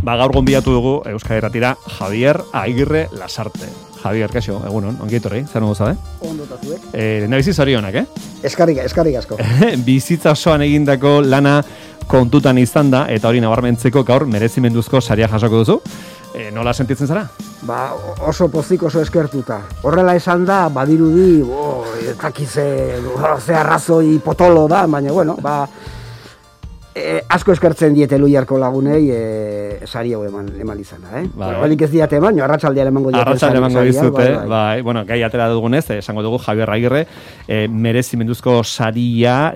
gaur gonbidatu dugu Euskal Irratira Javier Agirre Lasarte. Javier, kaixo, egunon, ongi etorri, zer nugu zabe? Ondo eta zuek. Nabizi zorionak, Eskarrik asko. Bizitza osoan egindako lana kontutan izan da, eta hori nabarmentzeko gaur merezimenduzko saria jasoko duzu. Nola sentitzen zara? Oso pozik, oso eskertuta. Horrela esan da, badirudi, etakize, ze arrazoi potolo da, baina, bueno, asko eskertzen diete Luiarko lagunei sari hau eman izana, Balik ez diate eman, arratsaldean emango diate. Arratsaldean emango dizute, bai. Bueno, gai atera dugunez, esango dugu Javier Agirre, merezimenduzko saria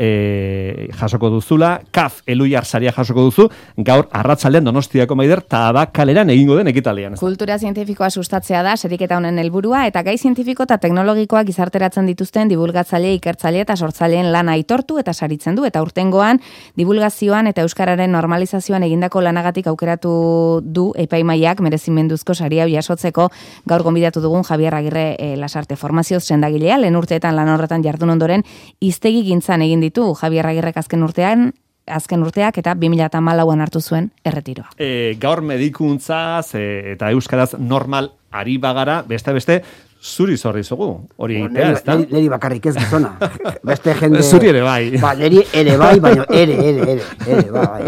jasoko duzula, KAF Eluiar saria jasoko duzu, gaur arratsaldean Donostiako Maider Tabakaleran egingo den ekitaldian. Kultura zientifikoa sustatzea da sariketa honen helburua, eta gai zientifiko eta teknologikoak gizarteratzen dituzten divulgatzaile, ikertzaile eta sortzaileen lana aitortu eta saritzen du, eta urtengoan divulgazioan eta euskararen normalizazioan egindako lanagatik aukeratu du epaimaiak merezimenduzko saria jasotzeko gaur gonbidatu dugun Javier Agirre Lasarte. Formazioz sendagilea, lehen urteetan lan horretan jardun ondoren hiztegi gintzan egin ditu Javier Agirrek azken urteak eta 2014an hartu zuen erretiroa. Gaur medikuntzaz eta euskaraz normal ari bagara, beste zuri zorri zugu, hori egitea, ez da? Neri bakarrik ez gizona. Beste jende... Zuri ere bai. Neri ere bai, baina ere, bai.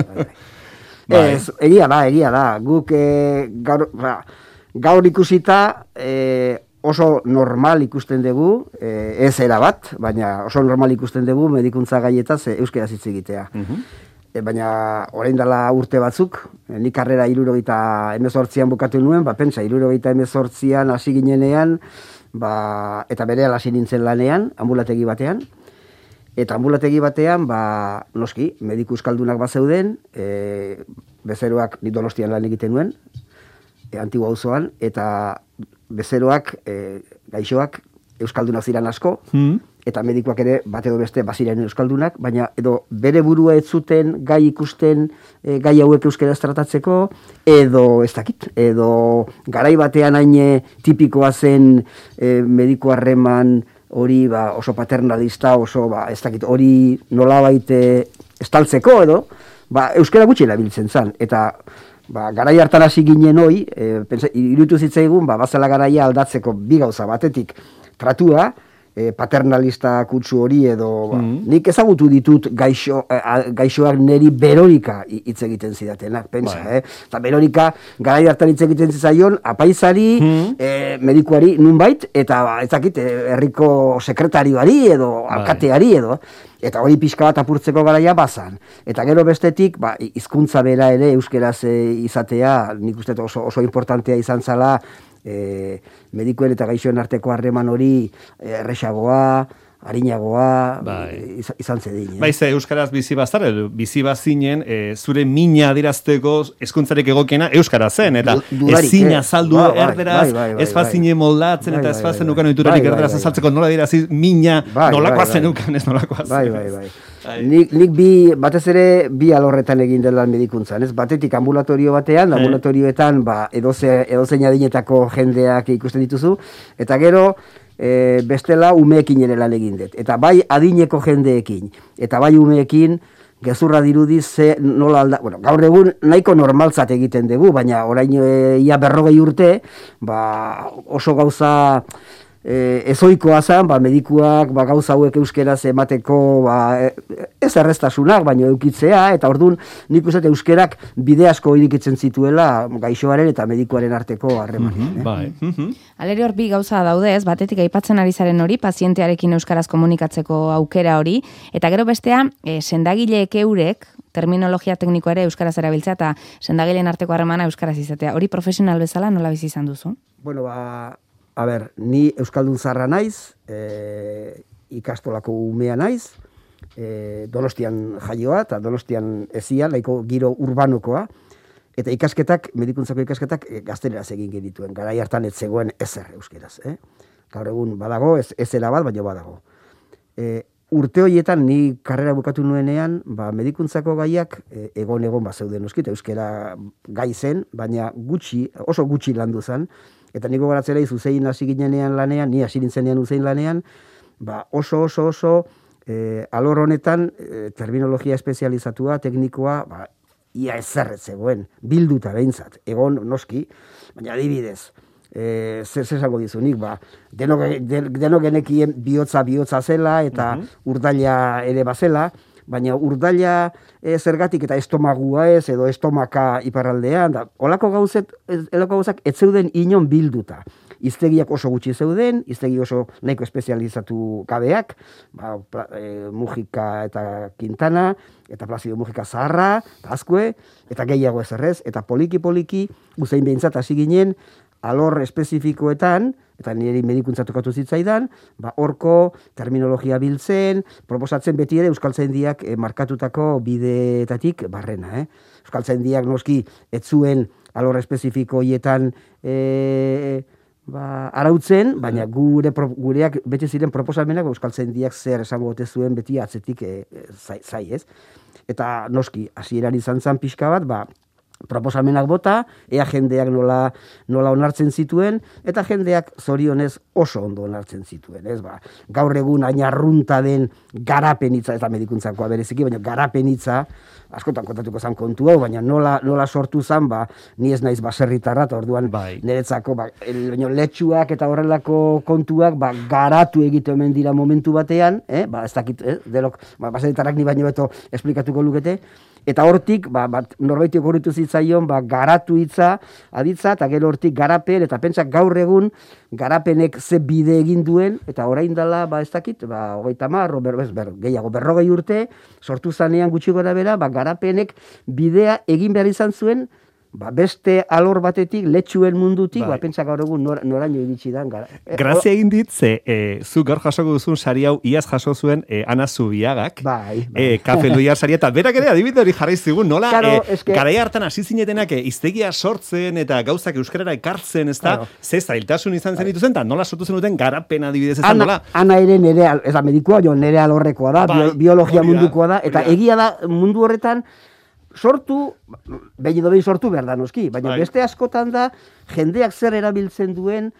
Egia da. Guk gaur ikusita oso normal ikusten dugu, ez erabat, baina oso normal ikusten dugu medikuntza gaietaz euskaraz hitz egitea. Baina orain dela urte batzuk, nik karrera 78an bukatu nuen, pentsa 78an hasi ginenean, eta berehala hasi nintzen lanean, anbulategi batean. Eta anbulategi batean, noski, mediku euskaldunak bazeuden, bezeroak ni Donostian lan egiten nuen, Antigua auzoan, eta bezeroak, gaixoak, euskaldunak ziren asko, eta medikuak ere bat edo beste baziren euskaldunak, baina edo bere burua ez zuten gai ikusten gai hauek euskaraz tratatzeko, edo ez dakit, edo garai batean hain tipikoa zen mediku harreman hori oso paternalista, oso ez dakit, hori nolabait estaltzeko edo, euskara gutxi erabiltzen zen, eta garai hartan hasi ginen hoi, iruditu zitzaigun, bazela garaia aldatzeko bi gauza batetik, tratua, paternalista kutsu hori edo nik ezagutu ditut gaixoak neri Berorika hitz egiten zidatenak, pentsa, eta Berorika garai hartan hitz egiten zizaion apaizari, medikuari nunbait, eta ezakit herriko sekretarioari edo alkateari edo, eta hori pixka bat apurtzeko garaia bazan. Eta gero bestetik, hizkuntza bera ere euskeraz izatea, nik uste oso importantea izan zala, medikuen eta gaixoen arteko harreman hori erresagoa, arinagoa, izan zedin. Ze euskaraz bizi bazar, bizi bazinen, zure mina adirazteko hezkuntzarik egokiena euskara zen, eta ezin azaldu erderaz, ez bazinen moldatzen, eta ez bazen ukan oiturarik erderaz azaltzeko nola dirazi mina, nolakoa zen ukan, ez nolakoa zen. Bai. Nik batez ere bi alorretan egin dela medikuntzan, ez? Batetik ambulatorio batean, ambulatorioetan edozein adinetako jendeak ikusten dituzu, eta gero bestela umeekin ere lan egin dut. Eta bai adineko jendeekin, eta bai umeekin gezurra dirudi nola alda... Bueno, gaur egun nahiko normaltzat egiten dugu, baina orain ia 40 urte, oso gauza... ezoikoa zen, medikuak gauza hauek euskeraz emateko ez erreztasunak, baina eukitzea, eta orduan nik uste euskerak bide asko irikitzen zituela gaixoaren eta medikuaren arteko harremanean. Alere hor bi gauza daude, batetik aipatzen ari zaren hori, pazientearekin euskaraz komunikatzeko aukera hori, eta gero bestea, sendagileek eurek, terminologia teknikoa ere euskaraz erabiltzea, eta sendagileen arteko harremana euskaraz izatea. Hori profesional bezala nola bizi izan duzu? Bueno, ni euskaldun zarra naiz, ikastolako umea naiz, Donostian jaioa eta Donostian ezia, laiko giro urbanokoa, eta medikuntzako ikasketak gazteleraz egin genituen, garai hartan ez zegoen ezer euskeraz. Gaur egun badago, ez erabat, baina badago. Urte horietan, ni karrera bukatu nuenean, medikuntzako gaiak egon bazeuden euskit, euskera gai zen, baina oso gutxi landu zen, eta niko garatzera izuzein hasi ginenean lanean, ni hasi nintzenean uzein lanean, oso alor honetan terminologia espezializatua, teknikoa, ia ezerret zegoen, bilduta behintzat, egon noski, baina adibidez, zer esango dizunik, denok genekien bihotza zela, eta urdaila ere bazela, baina urdaila zergatik eta estomagua ez, edo estomaka iparraldean, olako gauzak ez zeuden inon bilduta. Iztegiak oso gutxi zeuden, iztegi oso nahiko espezializatu gabeak, Mujika eta Quintana, eta Placido Mujika Zaharra, eta Azkue, eta gehiago ezerrez, eta poliki, uzein behintzat hasi ginen, alor espezifikoetan, eta niri medikuntza tokatu zitzaidan, horko terminologia biltzen, proposatzen beti ere Euskaltzaindiak markatutako bideetatik barrena. Euskaltzaindiak noski ez zuen alor espezifiko hietan arautzen, baina gureak bete ziren proposamenak Euskaltzaindiak zer esango ote zuen beti atzetik zai, ez? Eta noski, hasieran izan zen pixka bat, proposamenak bota, ea jendeak nola onartzen zituen, eta jendeak zorionez oso ondo onartzen zituen, ez? Gaur egun ainarrunta den garapenitza, eta medikuntzakoa bereziki, baina garapenitza, askotan kontatuko zan kontu hau, baina nola sortu zan, ni ez naiz baserritarra, eta orduan niretzako, letxuak eta horrelako kontuak, garatu egite omen dira momentu batean, ez dakit, delok, baserritarrak ni baino beto esplikatuko lukete, eta hortik, norbaitiok horretu zitzaion, garatu hitza, aditza, eta gero hortik garapen, eta pentsak gaur egun, garapenek ze bide egin duen, eta orain dela, ez dakit, 30, gehiago, 40 urte, sortu zanean gutxi gora bera, garapenek bidea egin behar izan zuen, beste alor batetik, letxuen mundutik, pentsak gaur egun noraino iritsi dan. Grazia egin dit, zu gaur jasoko duzun sari hau, iaz jaso zuen Ana Zubiagak, Kafe Luiar saria, eta berak ere adibide hori jarri zigun, nola, garai hartan hasi zinetenak iztegia sortzen eta gauzak euskarara ekartzen, ez da, ze zailtasun izan zen dituzen, eta nola sortu zen duten garapen adibidez ezan, nola? Ana ere nere, ez da medikoa, nere alorrekoa da, biologia mundukoa da, eta egia da mundu horretan, sortu, behin sortu behar da noski, baina beste askotan da, jendeak zer erabiltzen duen,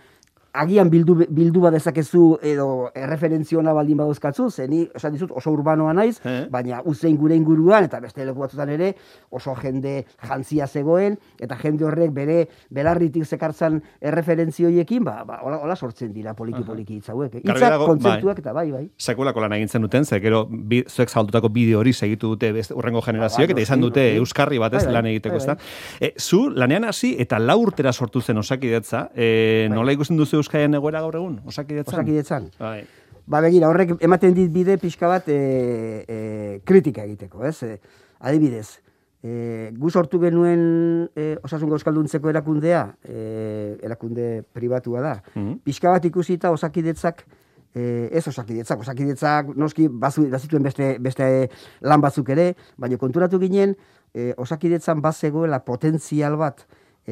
agian bildu badezakezu edo erreferentziona baldin badozkatzu, zeni, esan dizut, oso urbanoa naiz, baina uzein gure inguruan, eta beste leku batzutan ere, oso jende jantzia zegoen, eta jende horrek bere belarritik zekartzan erreferentzioiekin, hola sortzen dira poliki hitzauek. Hitzak, kontzeptuak, eta bai. Sekulako lan egintzen duten, ze gero zuek zabaldutako bideo hori segitu dute urrengo generazioak, eta izan dute euskarri batez lan egiteko, ez da. Zu, lanean hasi, eta 4 urtera sortu zen Osakidetza, nola ikusten duzu Euskaren egoera gaur egun, Osakidetzan? Begira, horrek ematen dit bide pixka bat kritika egiteko, ez? Adibidez, gu sortu genuen Osasun Euskalduntzeko erakundea, erakunde pribatua da. Pixka bat ikusita Osakidetzak, ez Osakidetzak noski bazituen beste lan batzuk ere, baina konturatu ginen Osakidetzan bazegoela potentzial bat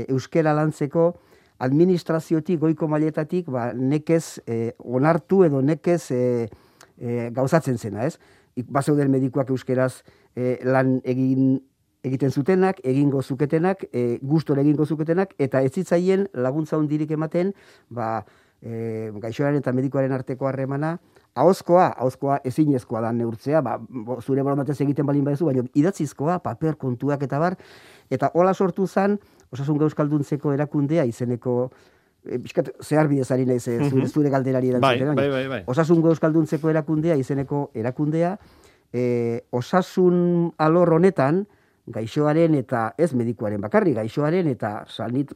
euskera lantzeko administraziotik, goiko mailetatik, nekez onartu edo nekez gauzatzen zena, ez? Bazeuden medikuak euskeraz lan egiten zutenak, egingo zuketenak, gustora egingo zuketenak, eta ez zitzaien laguntza hundirik ematen, gaixoaren eta medikuaren arteko harremana, ahozkoa ezinezkoa da neurtzea, zure borondatez egiten balin baduzu, baina idatzizkoa, paper kontuak eta bar, eta hola sortu zen, Osasun Euskalduntzeko erakundea izeneko, zehar bidezari naiz zure galderari erantzuten. Bai. Osasun Euskalduntzeko erakundea izeneko erakundea, osasun alor honetan, gaixoaren eta ez medikuaren bakarri, gaixoaren eta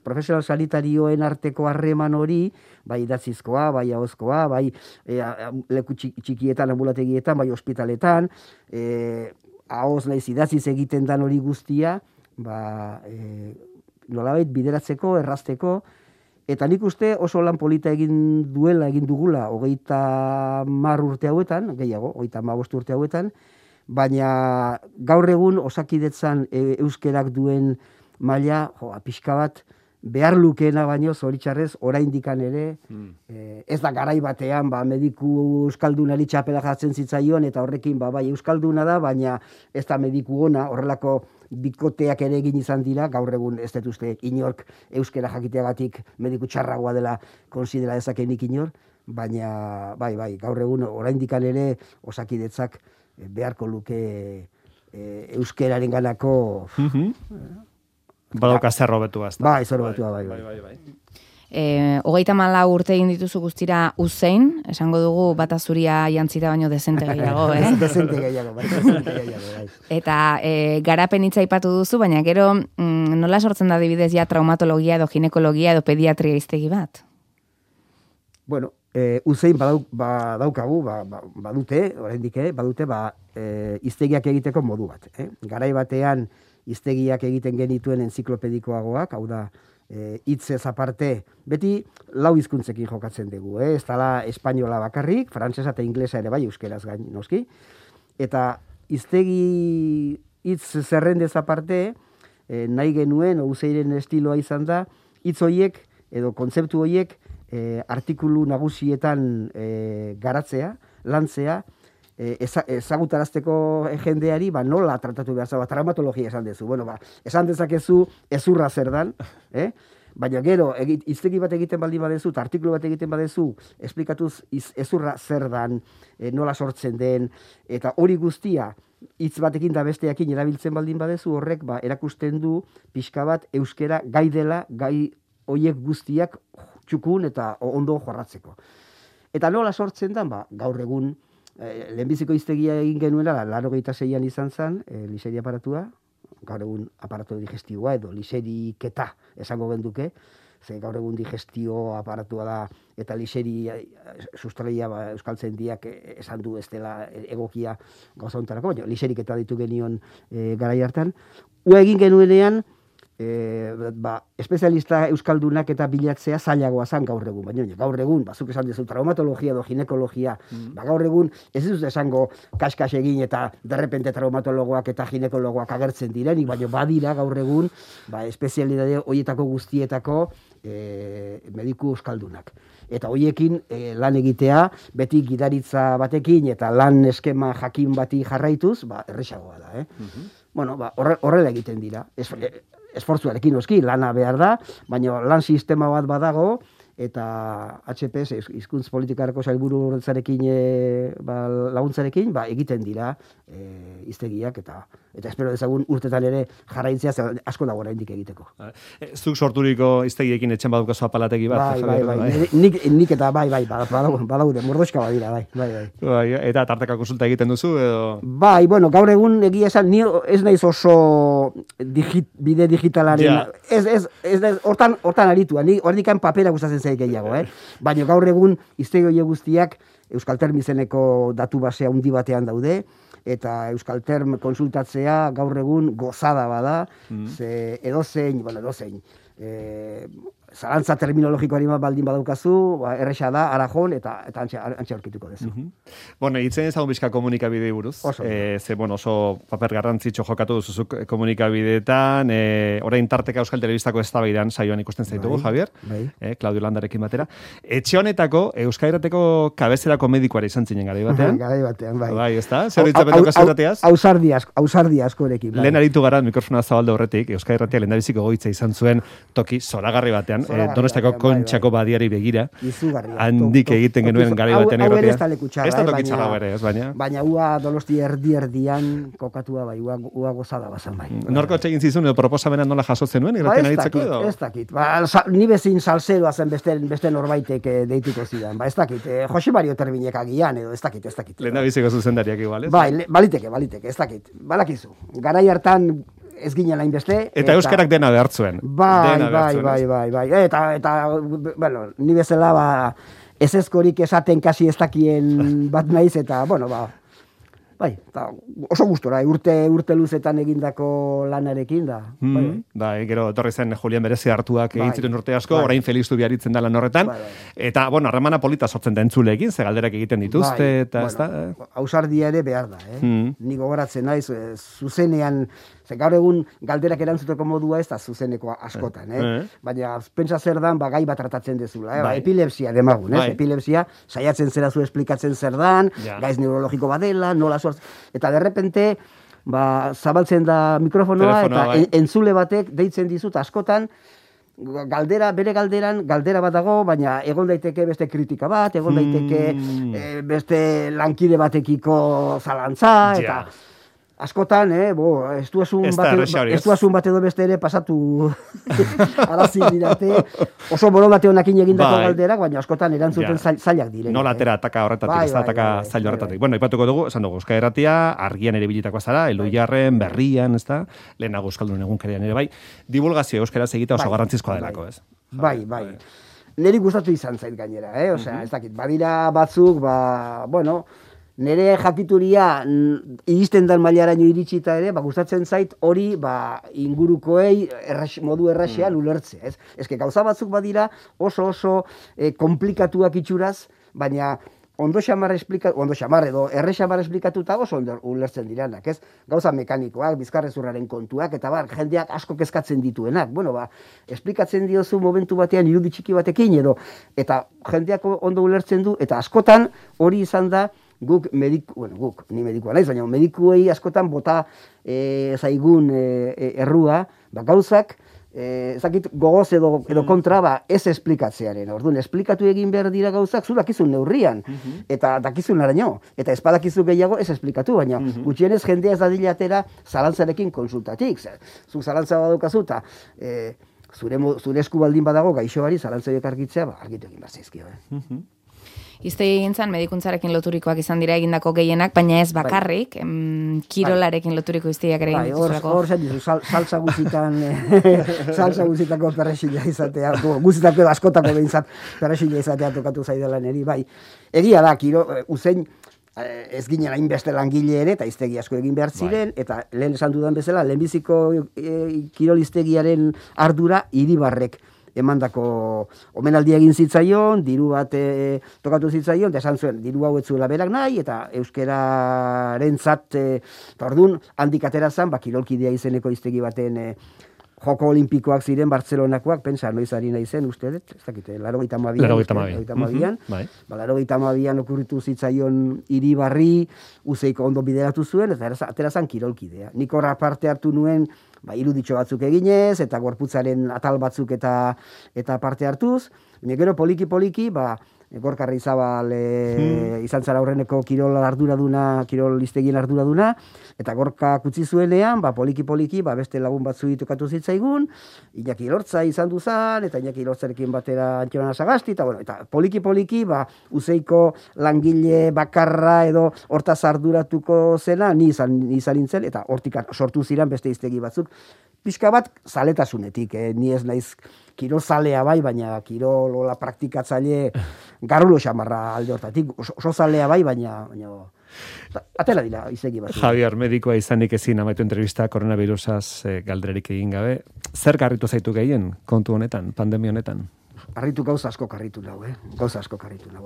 profesional sanitarioen arteko harreman hori, bai idatzizkoa, bai ahozkoa, bai leku txikietan, ambulategietan, bai ospitaletan, ahoz naiz idatziz egiten dan hori guztia, nolabait bideratzeko, errazteko, eta nik uste oso lan polita egin dugula 30 urte hauetan, gehiago, 35 urte hauetan, baina gaur egun Osakidetzan euskerak duen maila, pixka bat, behar lukeena baino, zoritxarrez, oraindikan ere, ez da garai batean, mediku euskaldunari txapela jartzen zitzaion, eta horrekin, bai euskalduna da, baina ez da mediku ona, horrelako bikoteak ere egin izan dira, gaur egun ez dut uste inork euskera jakiteagatik mediku txarragoa dela konsidera dezakenik inor, baina bai, gaur egun oraindikan ere Osakidetzak beharko luke euskeraren ganako... Badauka zerro betua, ez da? Bai, zerro betua, bai. 34 urte egin dituzu guztira uzein, esango dugu bata zuria jantzita baino dezente gehiago, Dezente gehiago, bai. Eta garapen hitza aipatu duzu, baina gero nola sortzen da adibidez ja traumatologia edo ginekologia edo pediatria hiztegi bat? Bueno, uzein badaukagu, badute, oraindik badute, hiztegiak egiteko modu bat. Garai batean hiztegiak egiten genituen enziklopedikoagoak, hau da, hitzez aparte, beti lau hizkuntzekin jokatzen dugu, ez dala espainola bakarrik, frantsesa eta inglesa ere bai, euskeraz gain, noski, eta hiztegi hitz zerrendez aparte, nahi genuen, uzeiren estiloa izan da, hitz horiek, edo kontzeptu horiek, artikulu nagusietan garatzea, lantzea, ezagutarazteko jendeari, nola tratatu behar zaba, traumatologia esan dezu. Bueno, esan dezakezu ezurra zer dan, baina gero, hiztegi bat egiten baldin badezu, eta artikulu bat egiten badezu, esplikatuz ezurra zer dan, nola sortzen den, eta hori guztia, hitz batekin da besteakin erabiltzen baldin badezu, horrek erakusten du pixka bat euskera gai dela, gai hoiek guztiak txukun eta ondo jorratzeko. Eta nola sortzen da, gaur egun, lehenbiziko hiztegia egin genuela, 86an izan zen, liseri aparatua, gaur egun aparatu digestiboa edo liseriketa esango genduke, ze gaur egun digestio aparatua da, eta liseri sustraia euskaltzen diak esan du ez dela egokia gauza hontarako, baina liseriketa ditu genion garai hartan. Ua egin genuenean, espezialista euskaldunak eta bilatzea zailagoa zan gaur egun, baina gaur egun, zuk esan dezu traumatologia edo ginekologia, gaur egun ez dut esango kaskas egin eta derrepente traumatologoak eta ginekologoak agertzen direnik, baina badira gaur egun espezialidade horietako guztietako mediku euskaldunak. Eta horiekin lan egitea, beti gidaritza batekin eta lan eskema jakin bati jarraituz, erresagoa da. Bueno, horrela egiten dira. Esfortzuarekin noski, lana behar da, baina lan sistema bat badago, eta HPS, hizkuntz politikarako sailburu horretzarekin laguntzarekin, egiten dira hiztegiak, eta espero dezagun urtetan ere jarraitzea, asko dago oraindik egiteko. Zuk sorturiko hiztegiekin etxen badukazu apalategi bat? Bai. Nik eta badaude, mordoxka badira, bai. Eta tarteka konsulta egiten duzu, edo? Bai, bueno, gaur egun egia esan, ni ez naiz oso bide digitalaren, hortan aritua, ni horrekan papera gustatzen zaik gehiago, baina gaur egun hiztegi horiek guztiak Euskalterm izeneko datu basea handi batean daude, eta Euskalterm konsultatzea gaur egun gozada bada, ze edozein, zalantza terminologikoari baldin badaukazu, erresa da, arajon, eta antxe aurkituko dezu. Bueno, hitzen ezagun bizka komunikabidei buruz. Oso paper garrantzitxo jokatu duzuzuk komunikabideetan, orain tarteka Euskal Telebistako eztabaidan saioan ikusten zaitugu, Javier, Claudio Landarekin batera. Etxe honetako, Euskal Irrateko kabezerako medikoari izan zinen garai batean. Garai batean, bai. Bai, ez da? Zer horitzapetako kasurrateaz? Ausardi askorekin. Lehen aritu gara, mikrofona zabalde horretik, Euskal Irratia lehendabiziko goitza izan zuen toki zoragarri batean, Donostako Kontxako badiari begira. Handik egiten genuen garai batean irratia. Ez da tokitxarra bere, ez baina. Baina ua Donosti erdian kokatua bai, ua gozada bazan bai. Norko txegin zizun edo proposamena nola jasotzen nuen irratien aritzeko edo? Ez dakit. Ni bezin salseroa zen beste norbaitek deituko zidan. Ez dakit. Jose Mario Terbinek agian edo ez dakit. Lehendabiziko zuzendariak igual, ez? Bai, baliteke, ez dakit. Balakizu. Garai hartan ez ginen lain beste. Eta euskarak dena behartzuen. Bai. Eta, bueno, ni bezala, ez ezkorik esaten kasi ez dakien bat naiz, eta, bueno, bai, oso gustora, urte luzetan egindako lanarekin da. Gero, etorri zen Julian Berezi hartuak egin ziren urte asko, orain Felixtu biaritzen da lan horretan, eta, bueno, harremana polita sortzen da entzuleekin, ze galderak egiten dituzte, eta ez da. Ausardia ere behar da, Ni gogoratzen naiz, zuzenean, ze gaur egun galderak erantzuteko modua ez da zuzeneko askotan, baina pentsa zer dan, gai bat tratatzen dezula, epilepsia demagun, epilepsia, saiatzen zera zu esplikatzen zer dan, gaiz neurologiko badela, nola eta derrepente zabaltzen da mikrofonoa eta entzule batek deitzen dizut askotan bere galdera bat dago, baina egon daiteke beste kritika bat, egon daiteke beste lankide batekiko zalantza, eta askotan, ez duazun bat edo beste ere pasatu arazin dirate, oso borondate honakin egindako galderak, baina askotan erantzuten zailak diren. Nola atera ataka horretatik, ez ataka zail horretatik. Bueno, ipatuko dugu, esan dugu, Euskal Irratia, argian ere bilitakoa zara, Elhuyarren, Berrian, ez da, lehenago Euskaldun egunkarian ere bai, divulgazio euskaraz egita oso garrantzizkoa delako, ez? Bai. Neri gustatu izan zait gainera, osea, ez dakit, badira batzuk, nire jakituria iristen dan mailaraino iritsita ere, gustatzen zait hori ingurukoei modu erraxean ulertzea, ez? Eske gauza batzuk badira oso komplikatuak itxuraz, baina ondo xamar edo erre xamar esplikatuta oso ulertzen diranak, ez? Gauza mekanikoak, bizkarrezurraren kontuak, eta jendeak asko kezkatzen dituenak. Esplikatzen diozu momentu batean irudi txiki batekin edo, eta jendeak ondo ulertzen du, eta askotan hori izan da, ni medikua naiz, baina medikuei askotan bota zaigun errua, gauzak, ezakit gogoz edo kontra ez esplikatzearen. Orduan, esplikatu egin behar dira gauzak, zu dakizun neurrian, eta dakizun araño, eta espadakizu gehiago ez esplikatu, baina gutxienez jendea ez dadila atera zalantzarekin konsultatik. Zu zalantza badukazu, eta zure esku baldin badago gaixoari zalantzaiek argitzea, argitu egin behar zaizkio. Iztegi gintzan, medikuntzarekin loturikoak izan dira egindako gehienak, baina ez bakarrik, kirolarekin loturiko iztegiak ere egin dituzulako. Hor zen dizu, salsa guzitako perrexila izatea, guzitako askotako behintzat perrexila izatea tokatu zaidala neri, bai. Egia da, uzein, ez ginen hainbeste langile ere, eta iztegi asko egin behar ziren, eta lehen esan dudan bezala, lehenbiziko kiroliztegiaren ardura Iribarrek emandako omenaldia egin zitzaion, diru bat tokatu zitzaion, eta esan zuen, diru hau ez zuela berak nahi, eta euskararentzat, eta orduan, handik atera zen, kirolkidea izeneko hiztegi baten Joko Olimpikoak ziren Bartzelonakoak, pentsa, noiz ari nahi zen, uste dut, ez dakite, 82an. 82an okurritu zitzaion Iribarri, Uzeiko ondo bideratu zuen, eta atera zen kirolkidea. Nik horra parte hartu nuen, iruditxo batzuk eginez, eta gorputzaren atal batzuk eta parte hartuz. Gero poliki, Gorkarri Zabal izan zara aurreneko kirol iztegien arduraduna, eta Gorka kutsi zuenean, poliki, beste lagun batzu ditokatu zitzaigun, Iñaki Lortza izan duzan, eta Iñaki Lortzarekin batera Antxorana Sagasti, eta poliki, Uzeiko langile bakarra edo hortaz arduratuko zena, ni izan nintzen, eta hortik sortu ziren beste iztegi batzuk. Pixka bat zaletasunetik, ni ez naiz kirolzalea bai, baina kirolola praktikatzaile garrulo xamarra alde hortatik, oso zalea bai, baina atera dira izegi bat. Javier, medikoa izanik ezin amaitu entrevista koronavirusaz galdererik egin gabe. Zer garritu zaitu gehien kontu honetan, pandemia honetan? Gauza asko karritu nau,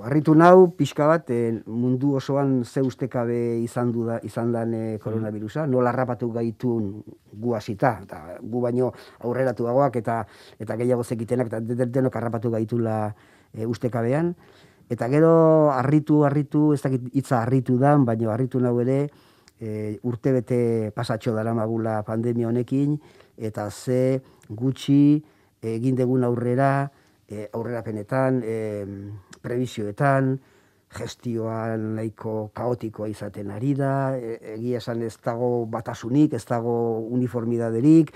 Harritu nau, pixka bat, mundu osoan ze ustekabe izan dan koronavirusa, nola harrapatu gaitun gu hasita, eta gu baino aurreratuagoak eta gehiago zekitenak, eta denok harrapatu gaitula ustekabean. Eta gero harritu, ez dakit hitza harritu dan, baina harritu nau ere, urtebete pasatxo daramagula pandemia honekin, eta ze gutxi egin degun aurrerapenetan, prebizioetan, gestioan nahiko kaotikoa izaten ari da, egia esan ez dago batasunik, ez dago uniformidaderik,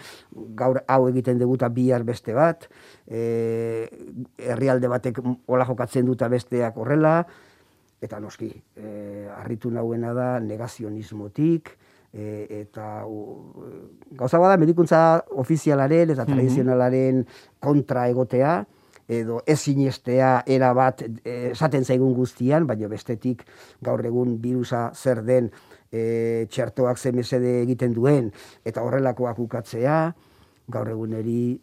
gaur hau egiten deguta bihar beste bat, herrialde batek hola jokatzen duta besteak horrela, eta noski, harritu nauena da negazionismotik, eta gauza bada medikuntza ofizialaren eta tradizionalaren kontra egotea, edo ez sinestea era bat esaten zaigun guztian, baina bestetik gaur egun virusa zer den, txertoak ze mesede egiten duen, eta horrelakoak ukatzea, gaur eguneri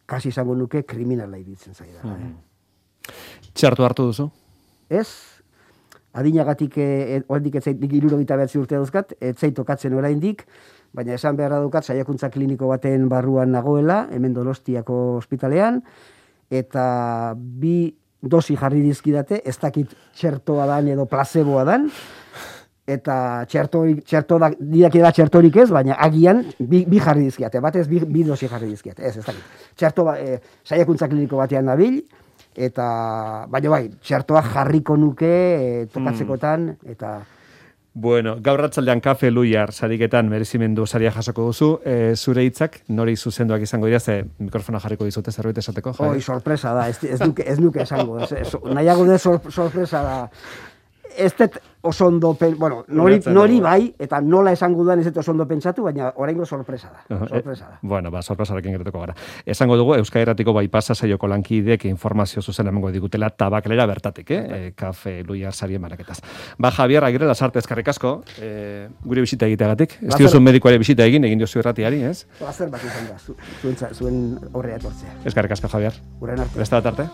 kasi izango nuke kriminala iruditzen zaida. Txertu hartu duzu? Ez, adinagatik oraindik ez zait 79 urte dauzkat, ez zait tokatzen oraindik, baina esan beharra daukat saiakuntza kliniko baten barruan nagoela, hemen Donostiako ospitalean, eta 2 dosi jarri dizkidate, ez dakit txertoa dan edo placeboa dan, eta txertorik ez, baina agian bi jarri dizkidate, batez bi dosi jarri dizkidate, ez dakit. Saiakuntza kliniko batean nabil, eta baina bai, txertoa jarriko nuke tokatzekotan, eta Bueno, gaur ratzaldean Kafe Luiar sariketan merezimendu saria jasoko duzu. Zure hitzak nori zuzenduak izango dira, ze mikrofona jarriko dizute zerbait esateko? Oi, sorpresa da, ez nuke esango. Nahiago de sorpresa da. Ez dut oso ondo, nori bai, eta nola esango duan ez dut oso ondo pentsatu, baina oraingo sorpresa da. Bueno, sorpresarekin gertuko gara. Esango dugu, Euskal Irratiko Baipasa saioko lankidek informazio zuzen emango digutela tabaklera bertatik, Kafe Luiar sarien banaketaz. Javier Agirre, Lasarte, eskerrik asko, gure bisita egiteagatik. Ez diozun medikoare bisita egin diozu irratiari, ez? Plazer bat izan da, zuen horrea etortzea. Eskerrik asko, Javier. Guren arte. Beste bat arte.